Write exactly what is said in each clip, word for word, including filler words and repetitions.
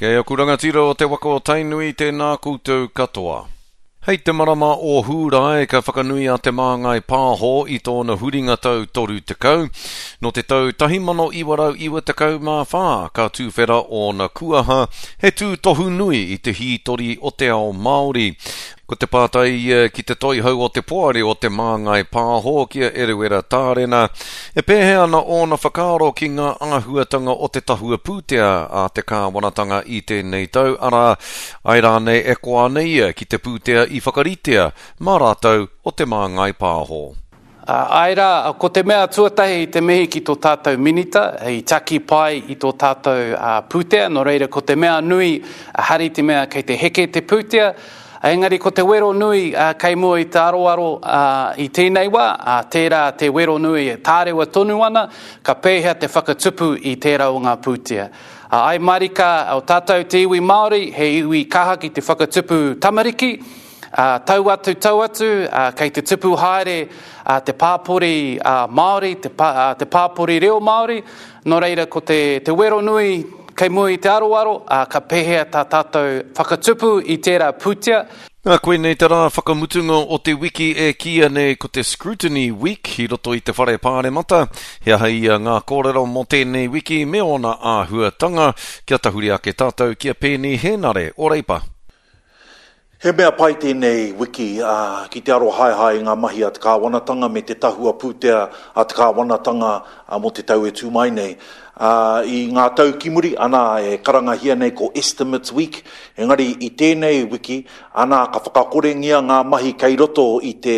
Kei aku rangatira o te waka o Tainui, tēnā koutou katoa. Hei te marama o Hūrae ka whakanui a Te Māngai Pāho i tōna huringa tau toru tekau. Nō te tau tahi mano iwa rau iwa tekau mā whā ka tūwhera ōna kuaha, he tūtohu nui i te hītori o te ao Māori. Ko te pātai ia ki te toihau o te poari o Te Māngai Pāho ki a Eruera Tārena, e pēhea ana ōna whakaaro ki ngā āhuatanga o te tahua pūtea a te kāwanatanga i tēnei tau, arā, ai rānei e koa ana ia ki te pūtea i whakaritea mā rātou o Te Māngai Pāho. Āe rā, ko te mea tuatahi i te mihi ki tō tātou minita, i taki pai i tō tātou pūtea, nō reira ko te mea nui, hari te mea kei te heke te pūtea, engari ko te wero nui kei mua i te aroaro i tēnei wā, tērā te wero nui e tārewa tonu ana, ka pēhea te whakatupu i tērā o ngā pūtea. Ai marika, o tātou te iwi Māori, he iwi kaha ki te whakatupu tamariki, tau atu, tau atu, kei te tupu haere te pāpori Māori, te, pā, te pāpori reo Māori, nō reira ko te, te wero nui kei mua i te aroaro, ka pēhea tā tātou whakatupu i tērā pūtea. Nā, koinei te rā whakamutunga o te wiki e kīia nei ko te Scrutiny Week i roto i te whare pāremata. He aha ia ngā kōrero mō tēnei wiki me ōna āhuatanga, kia tahuri ake tātou ki a Peeni Hēnare o Reipa. He mea pai tēnei wiki, ā, ki te arohaehae i ngā mahi a te kāwanatanga me te tahua pūtea a te kāwanatanga mō te tau e tū mai nei. Ā, i ngā tau ki muri, anā, e karangahia nei ko Estimates Week, engari i tēnei wiki, anā, ka whakakorengia ngā mahi kei roto i te,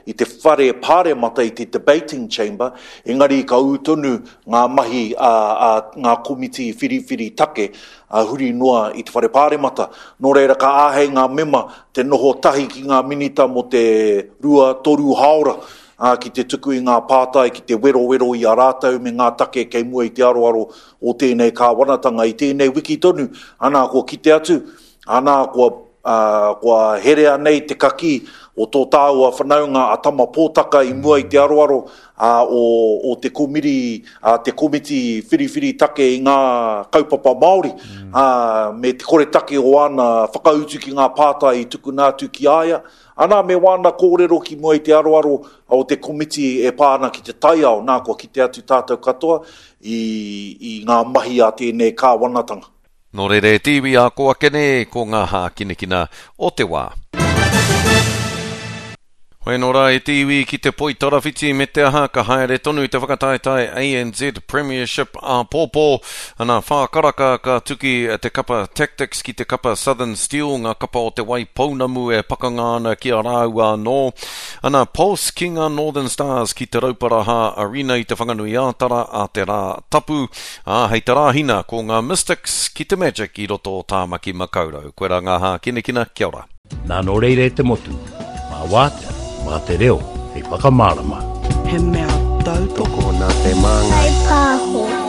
i te whare pāremata, i te debating chamber, engari ka ū tonu ngā mahi a, a ngā komiti whiriwhiri take, ā, huri noa i te Whare Pāremata. Nō reira, ka āhei ngā mema te noho tahi ki ngā minita mō te rua, toru hāora, ā, ki te tuku i ngā pātai, ki te werowero i a rātou me ngā take kei mua i te aroaro o tēnei kāwanatanga i tēnei wiki tonu. Anā, kua kite atu, anā, kua, ā, kua herea nei te kakī o tō tāua whanaunga a Tama Pōtaka i mua i te aroaro, ā, o, o te komiri, ā, te komiti whiriwhiri take i ngā kaupapa Māori, ā, me te koretake o āna whakautu ki ngā pātai i tukuna atu ki a ia, anā, me wāna kōrero ki mua i te aroaro o te komiti e pā ana ki te taiao, nā, kua kite atu tātou katoa i, i ngā mahi a tēnei kāwanatanga. Nō reira e te iwi, ā kō ake nei ko ngā hākinakina o te wā. Hoi anō rā e te iwi ki te poitarawhiti me te aha ka haere tonu te whakataetae A N Z Premiership āpōpō. Ana whā karaka ka tuki te kapa Tactix ki te kapa Southern Steel, ngā kapa o te Wai Pounamu e pakanga ana ki a rāua anō. Ana Pulse ki ngā Northern Stars ki te Rauparaha Arena i te Whanganui-ā-Tara a te Rā Tapu. Ā, hei te Rāhina ko ngā Mystics ki te Magic i roto o Tāmaki Makaurau. Koirā ngā hākinakina, kia ora. Nā nō reira e te motu, mā wātea, mā te reo, hei whakamārama. He mea tautoko nā te māngai. Whai pāho.